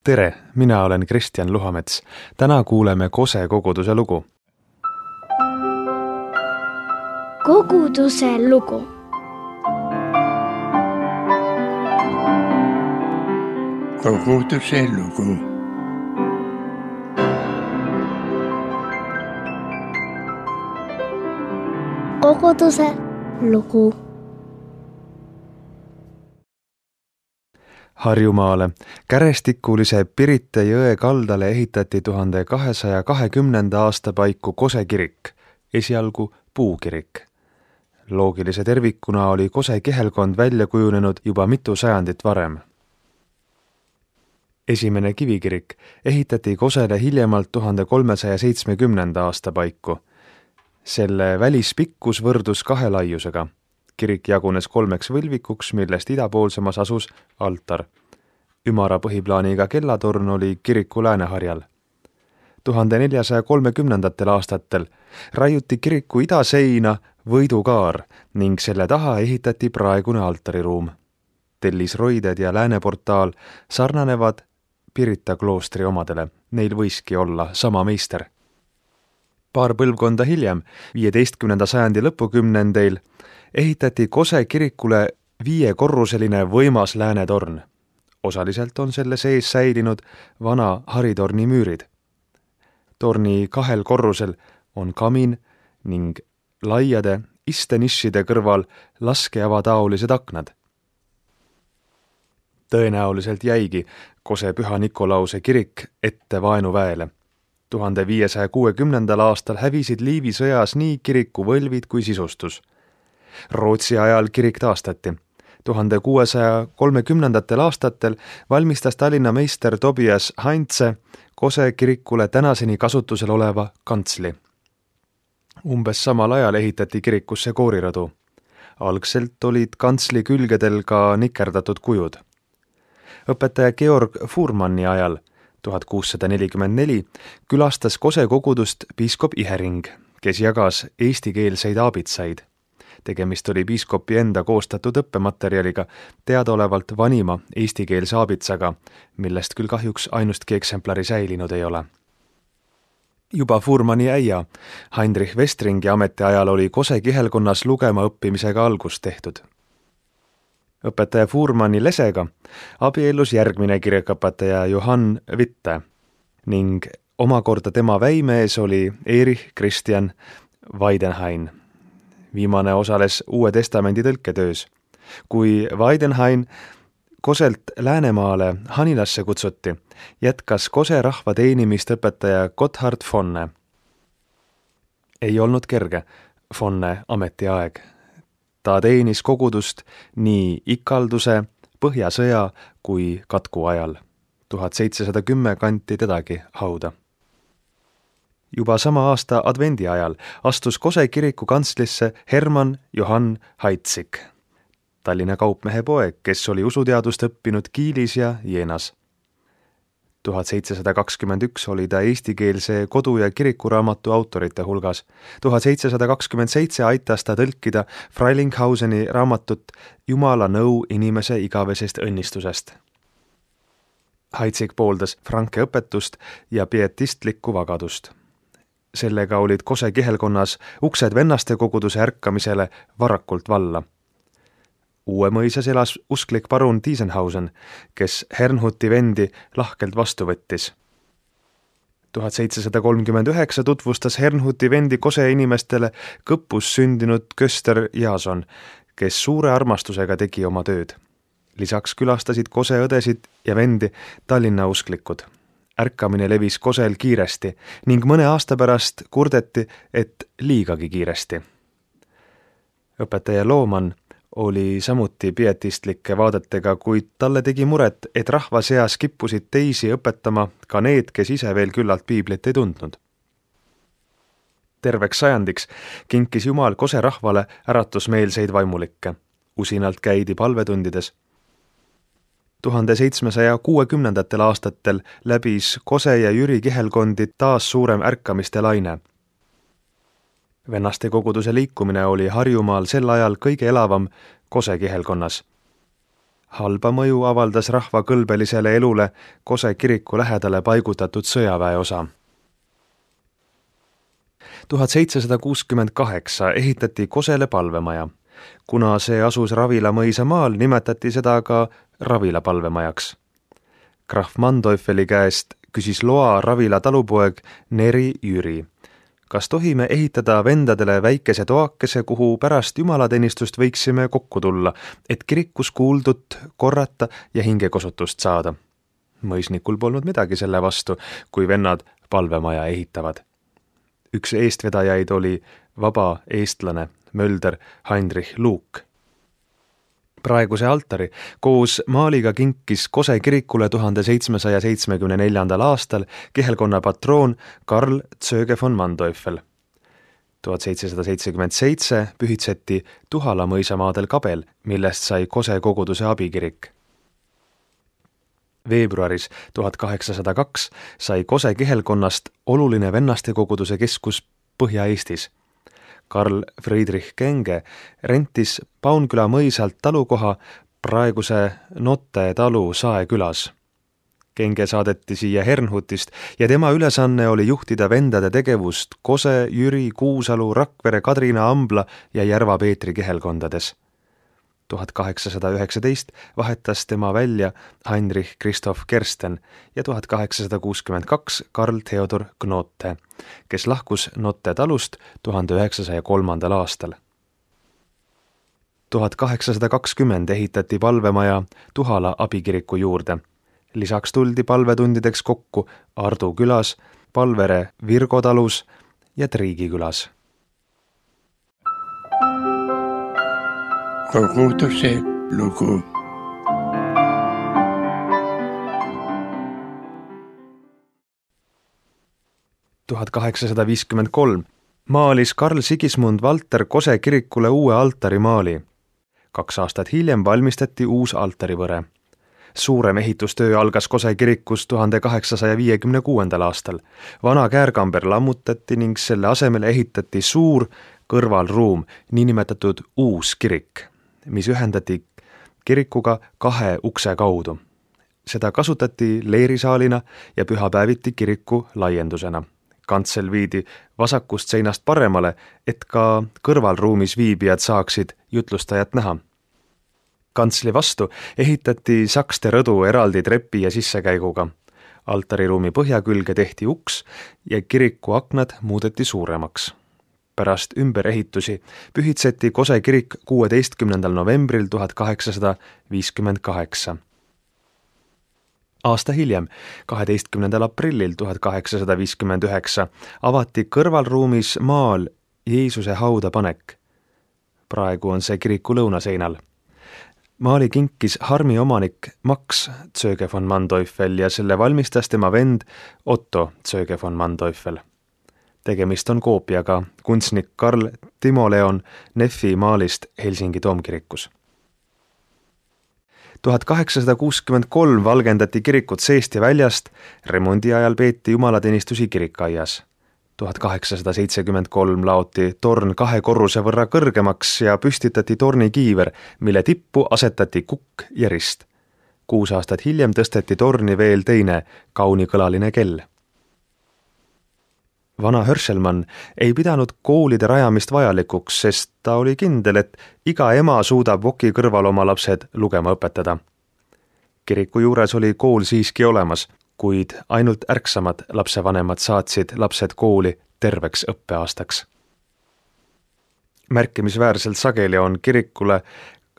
Tere, mina olen Kristjan Luhamets. Täna kuuleme Kose koguduse lugu. Koguduse lugu. Koguduse lugu. Koguduse lugu. Harjumaale kärestikulise Pirita jõe kaldale ehitati 1220. aasta paiku Kose kirik, esialgu puukirik. Loogilise tervikuna oli Kose kihelkond välja kujunenud juba mitu sajandit varem. Esimene kivikirik ehitati Kosele hiljemalt 1370. aasta paiku. Selle välispikkus võrdus 2 laiusega. Kirik jagunes 3 võlvikuks, millest idapoolsemas asus altar. Ümara põhiplaaniga kellatorn oli kiriku lääneharjal. 1430. aastatel raiuti kiriku idaseina võidukaar ning selle taha ehitati praegune altariruum. Tellisroided ja lääneportaal sarnanevad Pirita kloostri omadele, neil võiski olla sama meister. Paar põlvkonda hiljem, 15. sajandi lõpukümnendeil, ehitati Kose kirikule 5-korruseline võimas läänetorn. Osaliselt on selle sees säilinud vana haritorni müürid. Torni 2 korrusel on kamin ning laiade istenišide kõrval laskeavataolised aknad. Tõenäoliselt jäigi Kose Püha Nikolause kirik ette vaenuväele. 1560. aastal hävisid Liivi sõjas nii kiriku võlvid kui sisustus. Rootsi ajal kirik taastati. 1630. aastatel valmistas Tallinna meister Tobias Heinze Kose kirikule tänaseni kasutusel oleva kantsli. Umbes samal ajal ehitati kirikusse koorirõdu. Algselt olid kantsli külgedel ka nikerdatud kujud. Õpetaja Georg Fuhrmanni ajal 1644 külastas Kose kogudust piiskop Ihering, kes jagas eestikeelseid aabitsaid. Tegemist oli piiskopi enda koostatud õppematerjaliga, teadaolevalt vanima eestikeelse aabitsaga, millest küll kahjuks ainustki eksemplari säilinud ei ole. Juba Fuhrmanni äia Heinrich Westringi ametiajal oli Kose kihelkonnas lugema õppimisega algust tehtud. Õpetaja Fuhrmanni lesega abiellus järgmine kirikuõpetaja Johann Witte ning omakorda tema väimees oli Erich Christian Weidenhain. Viimane osales Uue Testamendi tõlketöös. Kui Weidenhain Koselt Läänemaale Hanilasse kutsuti, jätkas Kose rahva teenimist õpetaja Gotthard Fonne. Ei olnud kerge Fonne ametiaeg. Ta teenis kogudust nii ikalduse, põhjasõja kui katku ajal. 1710 kanti tedagi hauda. Juba sama aasta advendi ajal astus Kose kiriku kantslisse Hermann Johann Heitzig, Tallinna kaupmehe poeg, kes oli usuteadust õppinud Kiilis ja Jeenas. 1721 oli ta eestikeelse kodu- ja kirikuraamatu autorite hulgas. 1727 aitas ta tõlkida Freilinghauseni raamatut Jumala nõu inimese igavesest õnnistusest. Heitzig pooldas franke õpetust ja pietistlikku vagadust. Sellega olid Kose kihelkonnas uksed vennaste koguduse ärkamisele varakult valla. Uue mõisas elas usklik parun Tiesenhausen, kes Hernhuti vendi lahkelt vastu võttis. 1739 tutvustas Hernhuti vendi Kose inimestele Kõpus sündinud Köster Jason, kes suure armastusega tegi oma tööd. Lisaks külastasid Kose õdesid ja vendi Tallinna usklikud. Ärkamine levis Kosel kiiresti ning mõne aasta pärast kurdeti, et liigagi kiiresti. Õpetaja Looman oli samuti pietistlike vaadetega, kuid talle tegi muret, et rahva seas kippusid teisi õpetama ka need, kes ise veel küllalt piiblit ei tundnud. Terveks sajandiks kinkis Jumal Kose rahvale äratusmeelseid vaimulikke. Usinalt käidi palvetundides. 1760. aastatel läbis Kose ja Jüri kihelkondi taas suurem ärkamiste laine. Vennaste koguduse liikumine oli Harjumaal sel ajal kõige elavam Kose kihelkonnas. Halba mõju avaldas rahva kõlbelisele elule Kose kiriku lähedale paigutatud sõjaväeosa. 1768 ehitati Kosele palvemaja. Kuna see asus Ravila mõisa maal, nimetati seda ka Ravila palvemajaks. Krahv Manteufeli käest küsis loa Ravila talupoeg Neri Jüri. Kas tohime ehitada vendadele väikese toakese, kuhu pärast jumalateenistust võiksime kokku tulla, et kirikus kuuldut korrata ja hingekosutust saada? Mõisnikul polnud midagi selle vastu, kui vennad palvemaja ehitavad. Üks eestvedajaid oli vaba eestlane Mölder Heinrich Luuk. Praeguse altari koos maaliga kinkis Kose kirikule 1774. aastal kihelkonna patroon Karl Zöge von Manteuffel. 1777 pühitseti Tuhala mõisamaadel kabel, millest sai Kose koguduse abikirik. Veebruaris 1802 sai Kose kihelkonnast oluline vennaste koguduse keskus Põhja-Eestis. Karl Friedrich Kenge rentis Paunküla mõisalt talukoha praeguse Notte talu Saekülas. Kenge saadeti siia Hernhutist ja tema ülesanne oli juhtida vendade tegevust Kose, Jüri, Kuusalu, Rakvere, Kadrina, Ambla ja Järva Peetri kihelkondades. 1819 vahetas tema välja Heinrich Christoph Kersten ja 1862 Karl Theodor Knote, kes lahkus Notte talust 1903. aastal. 1820 ehitati palvemaja Tuhala abikiriku juurde. Lisaks tuldi palvetundideks kokku Ardu külas, Palvere Virgo talus ja Triigi külas. Koguduse lugu. – 1853 maalis Karl Sigismund Valter Kose kirikule uue altarimaali. 2 aastat hiljem valmistati uus altarivõre. Suurem ehitustöö algas Kose kirikus 1856. aastal. Vana käärkamber lammutati ning selle asemel ehitati suur kõrvalruum, niinimetatud uus kirik, mis ühendati kirikuga 2 ukse kaudu. Seda kasutati leerisaalina ja pühapäeviti kiriku laiendusena. Kantsel viidi vasakust seinast paremale, et ka kõrvalruumis viibijad saaksid jutlustajat näha. Kantsli vastu ehitati sakste rõdu eraldi trepi ja sissekäiguga. Altariruumi põhjakülge tehti uks ja kiriku aknad muudeti suuremaks. Pärast ümberehitusi pühitseti Kose kirik 16. novembril 1858. Aasta hiljem, 12. aprillil 1859, avati kõrvalruumis maal Jeesuse hauda panek. Praegu on see kiriku lõunaseinal. Maali kinkis Harmi omanik Max Zöge von Manteuffel ja selle valmistas tema vend Otto Zöge von Manteuffel. Tegemist on koopiaga kunstnik Karl Timo Leon Neffi maalist Helsingi toomkirikus. 1863 valgendati kirikut seest ja väljast, remondi ajal peeti jumalateenistusi kirikaias. 1873 laoti torn 2 korruse võrra kõrgemaks ja püstitati tornikiiver, mille tippu asetati kukk ja rist. 6 aastat hiljem tõsteti torni veel teine kaunikõlaline kell. Vana Hörselmann ei pidanud koolide rajamist vajalikuks, sest ta oli kindel, et iga ema suudab voki kõrval oma lapsed lugema õpetada. Kiriku juures oli kool siiski olemas, kuid ainult ärksamad lapsevanemad saatsid lapsed kooli terveks õppeaastaks. Märkimisväärselt sageli on kirikule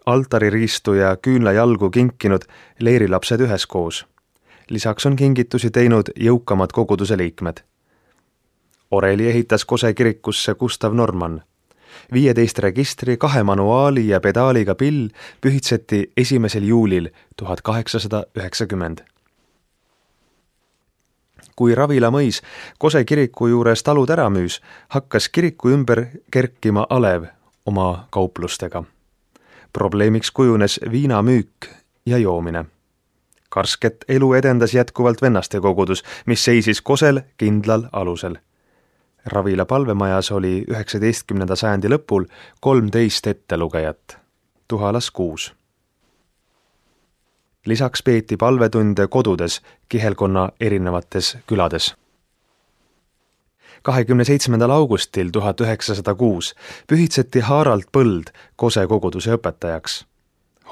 altaririistu ja küünlajalgu kinkinud leerilapsed üheskoos. Lisaks on kingitusi teinud jõukamad koguduse liikmed. Oreli ehitas Kose kirikusse Gustav Norman. 15 registri, 2 manuaali ja pedaaliga pill pühitseti 1. juulil 1890. Kui Ravila mõis Kose kiriku juures talud ära müüs, hakkas kiriku ümber kerkima alev oma kauplustega. Probleemiks kujunes viinamüük ja joomine. Karsket elu edendas jätkuvalt vennaste kogudus, mis seisis Kosel kindlal alusel. Ravila palvemajas oli 19. sajandi lõpul 13 ettelugejat, Tuhalas 6. Lisaks peeti palvetunde kodudes kihelkonna erinevates külades. 27. augustil 1906 pühitseti Harald Põld Kose koguduse õpetajaks.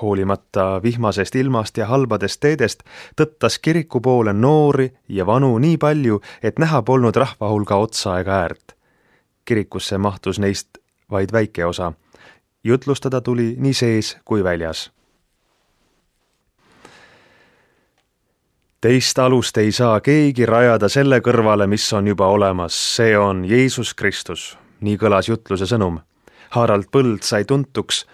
Hoolimata vihmasest ilmast ja halbadest teedest tõttas kiriku poole noori ja vanu nii palju, et näha polnud rahva hulga otsa ega äärt. Kirikusse mahtus neist vaid väike osa. Jutlustada tuli nii sees kui väljas. Teist alust ei saa keegi rajada selle kõrvale, mis on juba olemas, see on Jeesus Kristus, nii kõlas jutluse sõnum. Harald Põld sai tuntuks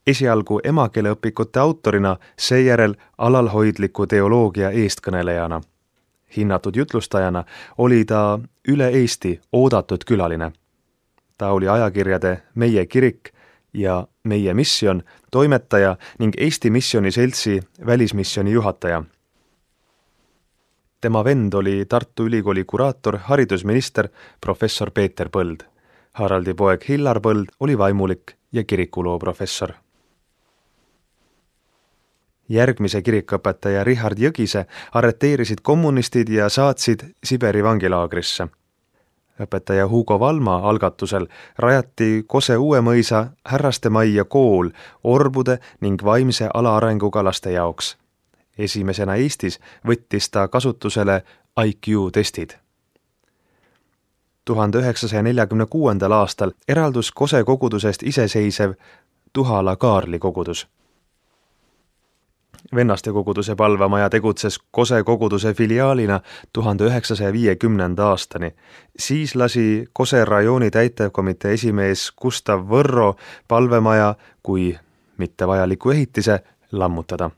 esialgu emakeeleõpikute autorina, seejärel alalhoidliku teoloogia eestkõnelejana. Hinnatud jutlustajana oli ta üle Eesti oodatud külaline. Ta oli ajakirjade Meie kirik ja Meie misjon toimetaja ning Eesti Missiooni Seltsi välismissiooni juhataja. Tema vend oli Tartu Ülikooli kuraator, haridusminister professor Peeter Põld. Haraldi poeg Hillar Põld oli vaimulik ja kirikuloo professor. Järgmise kirikuõpetaja Richard Jõgise arreteerisid kommunistid ja saatsid Siberi vangilaagrisse. Õpetaja Hugo Valma algatusel rajati Kose Uuemõisa härrastemajja kool orbude ning vaimse alaarenguga laste jaoks. Esimesena Eestis võttis ta kasutusele IQ-testid. 1946. aastal eraldus Kose kogudusest iseseisev Tuhala Kaarli kogudus. Vennaste koguduse palvamaja tegutses Kose koguduse filiaalina 1950. aastani. Siis lasi Kose rajooni täitevkomitee esimees Gustav Võrro palvemaja kui mittevajaliku ehitise lammutada.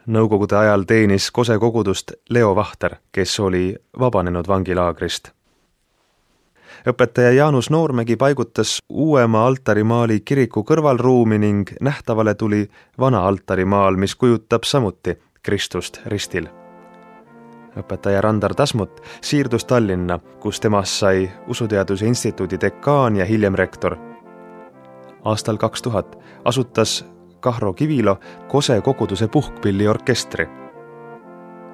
Nõukogude ajal teenis Kose kogudust Leo Vahter, kes oli vabanenud vangilaagrist. Õpetaja Jaanus Noormägi paigutas uuema altarimaali kiriku kõrvalruumi ning nähtavale tuli vana altarimaal, mis kujutab samuti Kristust ristil. Õpetaja Randar Tasmut siirdus Tallinna, kus temast sai Usuteaduse Instituudi dekaan ja hiljem rektor. Aastal 2000 asutas Kahro Kivilo Kose koguduse puhkpilliorkestri.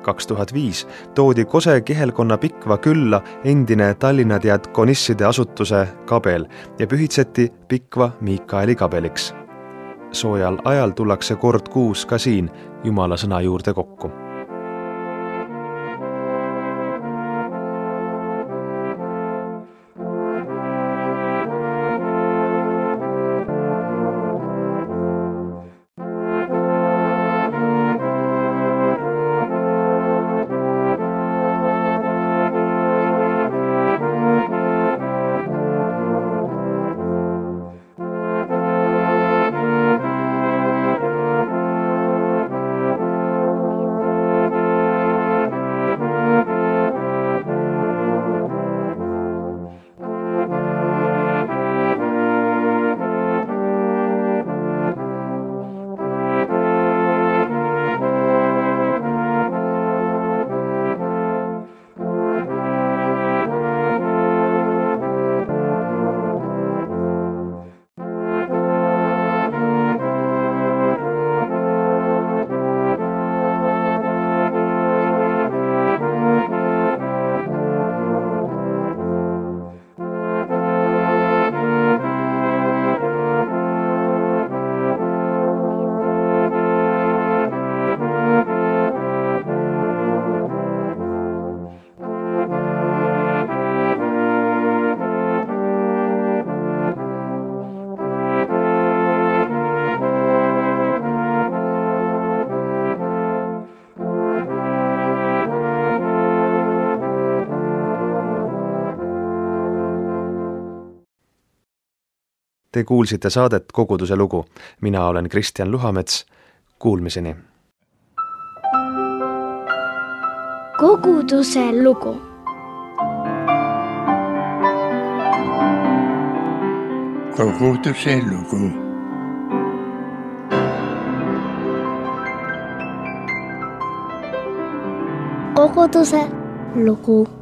2005 toodi Kose kihelkonna Pikva külla endine Tallinna diakonisside asutuse kabel ja pühitseti Pikva Miikaeli kabeliks. Soojal ajal tullakse kord kuus ka siin Jumala sõna juurde kokku. Te kuulsite saadet Koguduse lugu. Mina olen Kristjan Luhamets. Kuulmiseni. Koguduse lugu. Koguduse lugu. Koguduse lugu.